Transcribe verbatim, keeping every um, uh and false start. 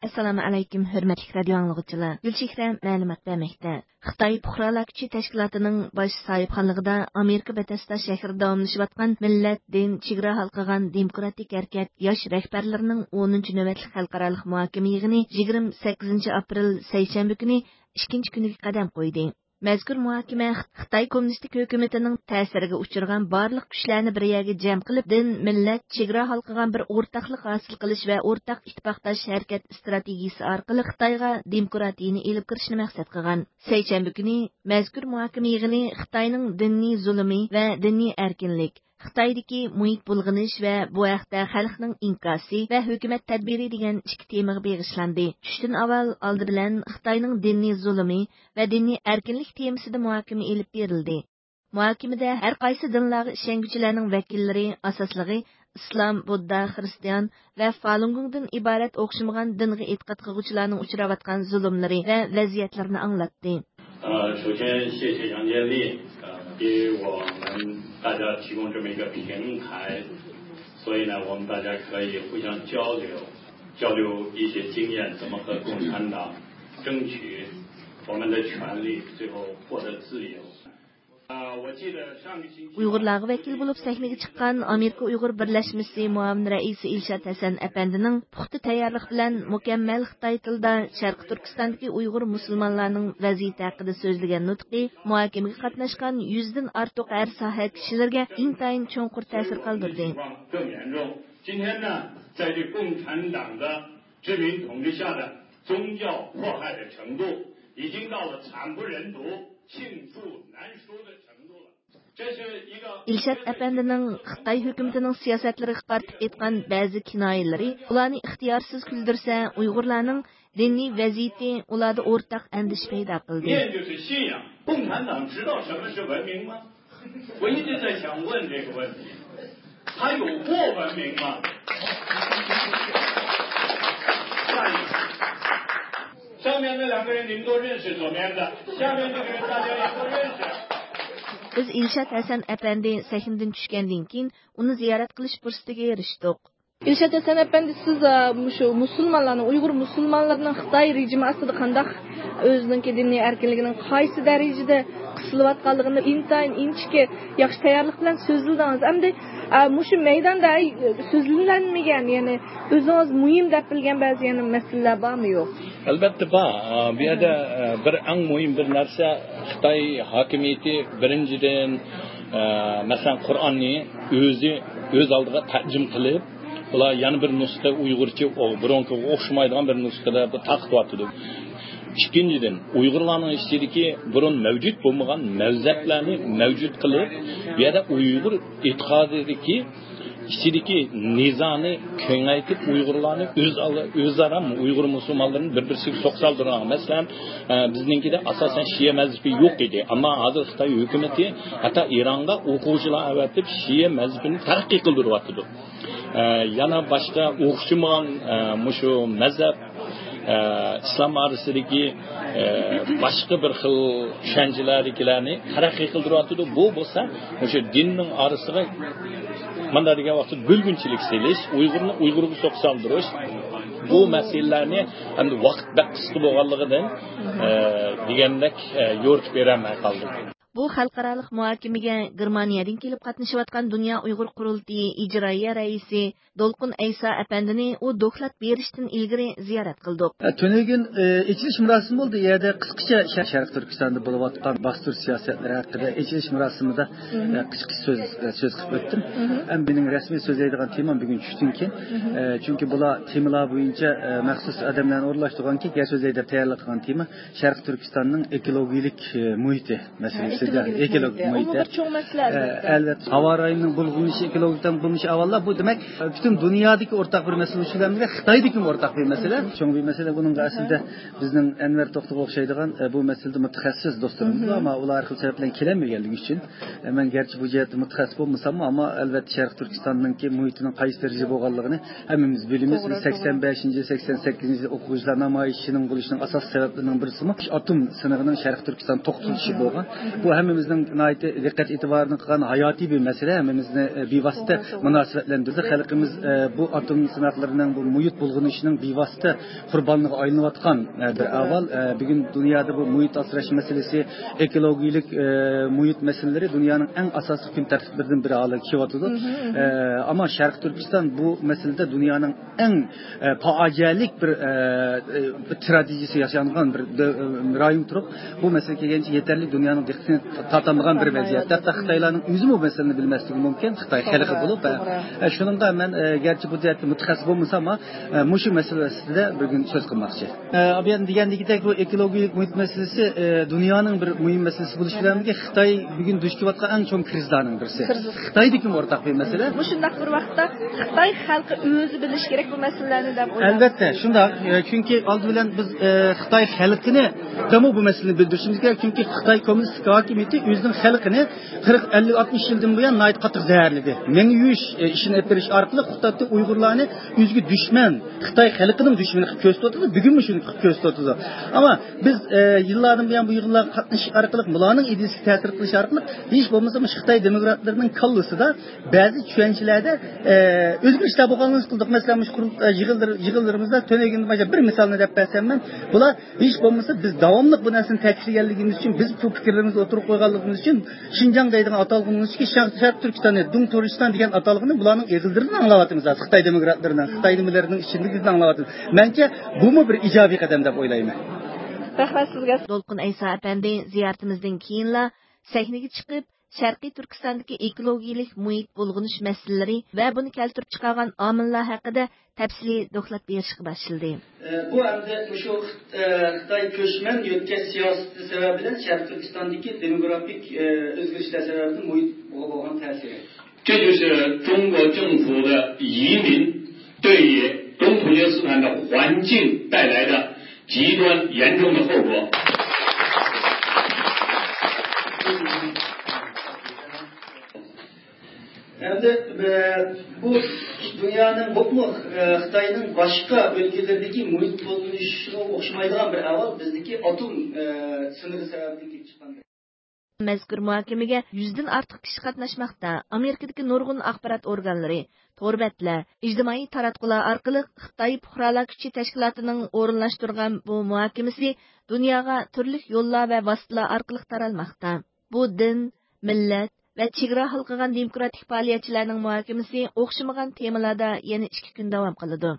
ئەسسالامۇ ئەلەيكۇم، ھۆرمەتلىك رادىيو ئاڭلىغۇچىلار. گۈلچېھرە مەلۇمات بەرمەكتە. خىتاي پۇقرالار كۈچى تەشكىلاتىنىڭ باش ساھىبخانلىقىدا ئامېرىكا بېتېسدا شەھىرىدە داۋاملىشىۋاتقان مىللەت، دىن، چېگرا ھالقىغان دېموكراتىك ھەرىكەت ياش رەھبەرلىرىنىڭ ئونىنچى نۆۋەتلىك خەلقئارالىق مۇھاكىمە يىغىنى يىگىرمە سەككىزىنچى ئاپرېل سەيشەنبە كۈنى ئىككىنچى كۈنىگە قەدەم قويدى. مەزكۇر مۇھاكىمە خىتاي كوممۇنىستىك ھۆكۈمىتىنىڭ تەسىرىگە ئۇچرىغان بارلىق كۈچلەرنى بىر يەرگە جەم قىلىپ، دىن، مىللەت، چېگرا ھالقىغان بىر ئورتاقلىق ھاسىل قىلىش ۋە ئورتاق ئىتتىپاقداش ھەرىكەت ئىستراتېگىيىسى ئارقىلىق خىتايغا دېموكراتىيىنى ئېلىپ كىرىشنى مەقسەت قىلغان. سەيشەنبە كۈنى مەزكۇر مۇھاكىمە يىغىنى خىتاينىڭ دىنىي زۇلۇمى ۋە دىنىي ئەركىنلىك، خىتايدىكى مۇھىت بۇلغىنىش ۋە بۇ ھەقتە خەلقنىڭ ئىنكاسى ۋە ھۆكۈمەت تەدبىرى دېگەن ئىككى تېمىغا بېغىشلاندى. چۈشتىن ئاۋۋال ئالدى بىلەن خىتاينىڭ دىنىي زۇلۇمى ۋە دىنىي ئەركىنلىك تېمىسىدا مۇھاكىمە ئېلىپ بېرىلدى. مۇھاكىمىدە ھەر قايسى دىنلارغا ئىشەنگۈچىلەرنىڭ ۋەكىللىرى، ئاساسلىقى ئىسلام، بۇددا، خىرىستىيان ۋە فالۇنگوڭدىن ئىبارەت ئوخشىمىغان دىنغا ئېتىقاد قىلغۇچىلارنىڭ ئۇچراۋاتقان زۇلۇملىرى ۋە ۋەزىيەتلىرىنى ئاڭلاتتى. 呃，首先谢谢杨建利，呃，给我们大家提供这么一个平台，所以呢，我们大家可以互相交流，交流一些经验，怎么和共产党争取我们的权利，最后获得自由。 ئۇيغۇرلارغا ۋەكىل بولۇپ سەھنىگە چىققان ئامېرىكا ئۇيغۇر بىرلەشمىسى مۇئاۋىن رەئىسى ئىلشات ھەسەن ئەپەندىنىڭ پۇختا تەييارلىق بىلەن مۇكەممەل خىتاي تىلىدا شەرقىي تۈركىستاندىكى ئۇيغۇر مۇسۇلمانلارنىڭ ۋەزىيىتى ھەققىدە سۆزلىگەن نۇتقى مۇھاكىمىگە قاتناشقان يۈزدىن ئارتۇق ھەر ساھە كىشىلىرىگە ئىنتايىن چوڭقۇر تەسىر قالدۇردى. 更严重。今天呢，在这共产党的殖民统治下的宗教迫害的程度，已经到了惨不忍睹、罄竹难书的程度了。 ئىلشات ئەپەندىنىڭ خىتاي ھۆكۈمىتىنىڭ سىياسەتلىرىگە قارىتىپ ئېيتقان بەزى كىنايىلىرى ئۇلارنى ئىختىيارسىز كۈلدۈرسە، ئۇيغۇرلارنىڭ دىنىي ۋەزىيىتى ئۇلاردا ئورتاق ئەندىشە پەيدا قىلدى. 面对着信仰，共产党知道什么是文明吗？我一直在想问这个问题，他有过文明吗？下一个，上面那两个人你们都认识，左面的，下面这个人大家也都认识。 بىز ئىلشات ھەسەن ئەپەندى سەھنىدىن چۈشكەندىن كېيىن، ئۇنى زىيارەت قىلىش پۇرسىتىگە ئېرىشتۇق. ئىلشات ھەسەن ئەپەندى، سىز، ئە، مۇشۇ مۇسۇلمانلارنىڭ، ئۇيغۇر مۇسۇلمانلىرىنىڭ خىتاي رېجىمى ئاستىدا قانداق ئۆزىنىڭكى دىنىي ئەركىنلىكىنىڭ قايسى دەرىجىدە قىسىلىۋاتقانلىقىنى ئىنتايىن ئىنچىكە، ياخشى تەييارلىق بىلەن سۆزلىدىڭىز. ئەمدى، ئە، مۇشۇ مەيداندا، ئەي، سۆزلىنەلمىگەن، يەنى ئۆزىڭىز مۇھىم دەپ بىلگەن بەزى يەنە مەسىلىلەر بارمۇ يوق؟ ئەلۋەتتە بار. ئە، بۇ يەردە، ئە، بىر ئەڭ مۇھىم بىر نەرسە، خىتاي ھاكىمىيىتى بىرىنچىدىن، ئە، مەسىلەن، قۇرئاننى ئۆزى ئۆز ئالدىغا تەرجىمە قىلىپ، ئۇلار يەنە بىر نۇسخا ئۇيغۇرچە، ئو-، بۇرۇنقىغا ئوخشىمايدىغان بىر نۇسخىدا بۇ تارقىتىۋاتىدۇ. ئىككىنچىدىن، ئۇيغۇرلارنىڭ ئىچىدىكى بۇرۇن مەۋجۇت بولمىغان مەزھەپلەرنى مەۋجۇت قىلىپ، بۇ يەردە ئۇيغۇر ئېتىقادىدىكى ئىچىدىكى نىزانى كېڭەيتىپ، ئۇيغۇرلارنى ئۆز-، ئۆزئارا ئۇيغۇر مۇسۇلمانلىرىنى بىر-بىرسىگە سوقسالدۇرغان. مەسىلەن، ئە، بىزنىڭكىدە ئاساسەن شىئە مەزھىپى يوق ئىدى. ئەمما ھازىر خىتاي ھۆكۈمىتى ھەتتا ئىرانغا ئوقۇغۇچىلار ئەۋەتىپ، شىئە مەزھىپىنى تەرەققىي قىلدۇرۇۋاتىدۇ. ئە، يەنە باشقا ئوخشىمىغان، ئە، مۇشۇ مەزھەپ، ئە، ئىسلام ئارىسىدىكى، ئە، باشقا بىر خىل چۈشەنچىلەردىكىلەرنى تەرەققىي قىلدۇرۇۋاتىدۇ. بۇ بولسا مۇشۇ دىننىڭ ئارىسىغا مانا دېگەن ۋاقىتتا بۆلگۈنچىلىك سېلىش، ئۇيغۇرنى ئۇيغۇرغا سوقسالدۇرۇش، بۇ مەسىلىلەرنى ئەمدى ۋاقىت بەك قىسقا بولغانلىقىدىن، ئە، دېگەندەك، ئە، يورۇتۇپ بېرەلمەي قالدىم. بۇ خەلقئارالىق مۇھاكىمىگە گېرمانىيەدىن كېلىپ قاتنىشىۋاتقان دۇنيا ئۇيغۇر قۇرۇلتىيى ئىجرائىيە رەئىسى دولقۇن ئەيسا ئەپەندىنى ئۇ دوكلات بېرىشتىن ئىلگىرى زىيارەت قىلدۇق. تۈنۈگۈن، ئە، ئېچىلىش مۇراسىمى بولدى. يەردە قىسقىچە شەرقىي تۈركىستاندا بولۇۋاتقان باستۇرۇش سىياسەتلىرى ھەققىدە ئېچىلىش مۇراسىمىدا، ئە، قىسقىچە سۆز، ئە، سۆز قىلىپ ئۆتتۈم. ئەمما مېنىڭ رەسمىي سۆزلەيدىغان تېمام بۈگۈن چۈشتىن كېيىن. ئە، چۈنكى بۇلار تېمىلار بويىچە، ئە، مەخسۇس ئادەملەرنى ئورۇنلاشتۇرغانكى، گەپ سۆزلەي دەپ تەييارلىق قىلغان تېما شەرقىي تۈركىستاننىڭ ئېكولوگىيىلىك، ئە، مۇھىتى مەسىلىسىدە، ئېكولوگىك مۇھىتى. ئۇمۇ بىر چوڭ مەسىلە، ئە، ئەلۋەتتە. ھاۋا رايىنىڭ بۇلغىنىشى، ئېكولوگىك بۇلغىنىشى ئاۋۋاللا، بۇ دېمەك، پۈتۈن دۇنيادىكى ئورتاق بىر مەسىلە، شۇ بىلەن بىللە خىتايدىكىمۇ ئورتاق بىر مەسىلە. چوڭ بىر مەسىلە. بۇنىڭغا ئەسلىدە بىزنىڭ ئەنۋەر توختىغا ئوخشايدىغان، ئە، بۇ مەسىلىدە مۇتەخەسسىس دوستلىرىمىز بار، ئەمما ئۇلار ھەر خىل سەۋەب بىلەن كېلەلمىگەنلىكى ئۈچۈن، ئە، مەن گەرچە بۇ جەھەتتە مۇتەخەسسىس بولمىساممۇ، ئەمما ئەلۋەتتە شەرقىي تۈركىستاننىڭكى مۇھىتىنىڭ قايسى دەرىجىدە بولغانلىقىنى ھەممىمىز بىلىمىز. بىز سەكسەن بەشىنچى، سەكسەن سەككىزىنچى يىل ئوقۇغۇچىلار نامايىشىنىڭ بولۇشىنىڭ ئاساسىي سەۋەبلىرىنىڭ بىرسىمۇ ئاتوم سىنىقىنىڭ شەرقىي تۈركىستان توختىتىلىشى بولغان. بۇ ھەممىمىزنىڭ ناھايىتى دىققەت ئېتىبارىنى قىلغان ھاياتىي بىر مەسىلە، ھەممىمىزنى، ئە، بىۋاسىتە مۇناسىۋەتلەندۈرىدۇ. خەلقىمىز، ئە، بۇ ئاتوم سىناقلىرىنىڭ، بۇ مۇھىت بۇلغىنىشىنىڭ بىۋاسىتە قۇربانلىرىغا ئايلىنىۋاتقان، ئە، بىر ئەھۋال. ئە، بۈگۈن دۇنيادا بۇ مۇھىت ئاسراش مەسىلىسى، ئېكولوگىيەلىك، ئە، مۇھىت مەسىلىلىرى دۇنيانىڭ ئەڭ ئاساسلىق كۈن تەرتىپلىرىدىن بىرى ھالىگە كېلىۋاتىدۇ. ئە، ئەمما شەرقىي تۈركىستان بۇ مەسىلىدە دۇنيانىڭ ئەڭ، ئە، پاجىئەلىك بىر، ئە، ئە، بىر تراگېدىيەسى ياشانغان بىر دۆ-، ئە، رايون تۇرۇپ، بۇ مەسىلىگە كەلگەنچە يېتەرلىك دۇنيانىڭ دىققىتىنى تا-، تارتالمىغان بىر ۋەزىيەت. ھەتتا خىتايلارنىڭ ئۆزىمۇ بۇ مەسىلىنى بىلمەسلىكى مۇمكىن، خىتاي خەلقى بولۇپ. ئە، ئە، شۇنىڭغا مەن، ئە، گەرچە بۇ جەھەتتە مۇتەخەسسىس بولمىساممۇ، ئە، مۇشۇ مەسىلە ئۈستىدە بۈگۈن سۆز قىلماقچى. ئە، ئابىيان دېگەندىكىدەك، بۇ ئېكولوگىيەلىك مۇھىت مەسىلىسى، ئە، دۇنيانىڭ بىر مۇھىم مەسىلىسى بولۇشى بىلەن بىرگە، خىتاي بۈگۈن دۇچ كېلىۋاتقان ئەڭ چوڭ كىرىزىسلارنىڭ بىرسى. خىتايدىكىمۇ ئورتاق بىر مەسىلە. مۇشۇنداق بىر ۋاقىتتا خىتاي خەلقى ئۆزى بىلىشى كېرەك بۇ مەسىلىلەرنى دەپ ئويلايمەن. ئەلۋەتتە، شۇنداق. ئە، چۈنكى ئالدى بىلەن بىز، ئە، خىتاي خەلقىنى دەمۇ بۇ مەسىلىنى بىلدۈرۈشىمىز كېرەك. چۈنكى خىتاي كوممۇنىستىك ھاكىمىيىتى ئۆزىنىڭ خەلقىنى قىرىق، ئەللىك، ئاتمىش يىلدىن بۇيان ناھايىتى قاتتىق زەھەرلىدى. مېڭە يۇيۇش، ئە، ئىشىنى ئېلىپ بېرىش ئارقىلىق خىتايدا ئۇيغۇرلارنى ئۆزىگە دۈشمەن، خىتاي خەلقىنىڭ دۈشمىنى قىلىپ كۆرسىتىۋاتىدۇ، بۈگۈنمۇ شۇنى قىلىپ كۆرسىتىۋاتىدۇ. ئەمما بىز، ئە، يىللاردىن بۇيان بۇ يىغىنلارغا قاتنىشىش ئارقىلىق، بۇلارنىڭ ئىدىيىسىگە تەسىر قىلىش ئارقىلىق، ھېچ بولمىسا مۇشۇ خىتاي دېموكراتلىرىنىڭ كاللىسىدا بەزى چۈشەنچىلەردە، ئە، ئۆزگىرىشلەر بولغانلىقىنى قىلدۇق. مەسىلەن، مۇشۇ قۇرۇل-، ئە، يىغىنلىرى-، يىغىنلىرىمىزدا تۈنۈگۈندىن باشلاپ بىر مىسالنى دەپ بەرسەم مەن، بۇلار ھېچ بولمىسا بىز داۋاملىق بۇ نەرسىنى تەكىتلىگەنلىكىمىز ئۈچۈن، بىز بۇ پىكىرلىرىمىزنى ئوتتۇرىغا قويغانلىقىمىز ئۈچۈن، شىنجاڭ دەيدىغان ئاتالغۇنىڭ ئىچىدىكى شەرق، شەرقىي تۈركىستاننى، دۇڭ تۇركىستان دېگەن ئاتالغۇنى بۇلارنىڭ ئېغىزلىرىدىن ئاڭلاۋاتىمىز ھازىر. خىتاي دېموكراتلىرىنىڭ، خىتاي نېمىلىرىنىڭ ئىچىدىكىدىن ئاڭلاۋاتىمىز. مەنچە، بۇمۇ بىر ئىجابىي قەدەم دەپ ئويلايمەن. رەھمەت سىزگە. دولقۇن ئەيسا ئەپەندى زىيارىتىمىزدىن كېيىنلا سەھنىگە چىقىپ، شەرقىي تۈركىستاندىكى ئېكولوگىيەلىك مۇھىت بۇلغىنىش مەسىلىلىرى ۋە بۇنى كەلتۈرۈپ چىقارغان ئامىللار ھەققىدە تەپسىلىي دوكلات بېرىشكە باشلىدى. بۇ ئەمدى مۇشۇ خىت-، خىتاي كۆچمەن يۆتكەش سىياسىتى سەۋەبىدىن شەرقىي تۈركىستاندىكى دېموگرافىك ئۆزگىرىشلەر سەۋەبىدىن مۇھىتقا بولغان تەسىرى. 这就是中国政府的移民对于东突厥斯坦的环境带来的极端严重的后果。 ئەمدى، ئە، بۇ دۇنيانىڭ بولۇپمۇ، ئە، خىتاينىڭ باشقا ئۆلكىلىرىدىكى مۇھىت بۇلغىنىشىغا ئوخشىمايدىغان بىر ئەھۋال بىزدىكى ئاتوم، ئە، سىنىقى سەۋەبىدىن كېلىپ چىققان. مەزكۇر مۇھاكىمىگە يۈزدىن ئارتۇق كىشى قاتناشماقتا. ئامېرىكىدىكى نۇرغۇن ئاخبارات ئورگانلىرى، تور بەتلەر، ئىجتىمائىي تاراتقۇلار ئارقىلىق خىتاي پۇقرالار كۈچى تەشكىلاتىنىڭ ئورۇنلاشتۇرغان بۇ مۇھاكىمىسى دۇنياغا تۈرلۈك يوللار ۋە ۋاسىتىلەر ئارقىلىق تارالماقتا. بۇ دىن، مىللەت ۋە چېگرا ھالقىغان دېموكراتىك پائالىيەتچىلەرنىڭ مۇھاكىمىسى ئوخشىمىغان تېمىلاردا يەنە ئىككى كۈن داۋام قىلىدۇ.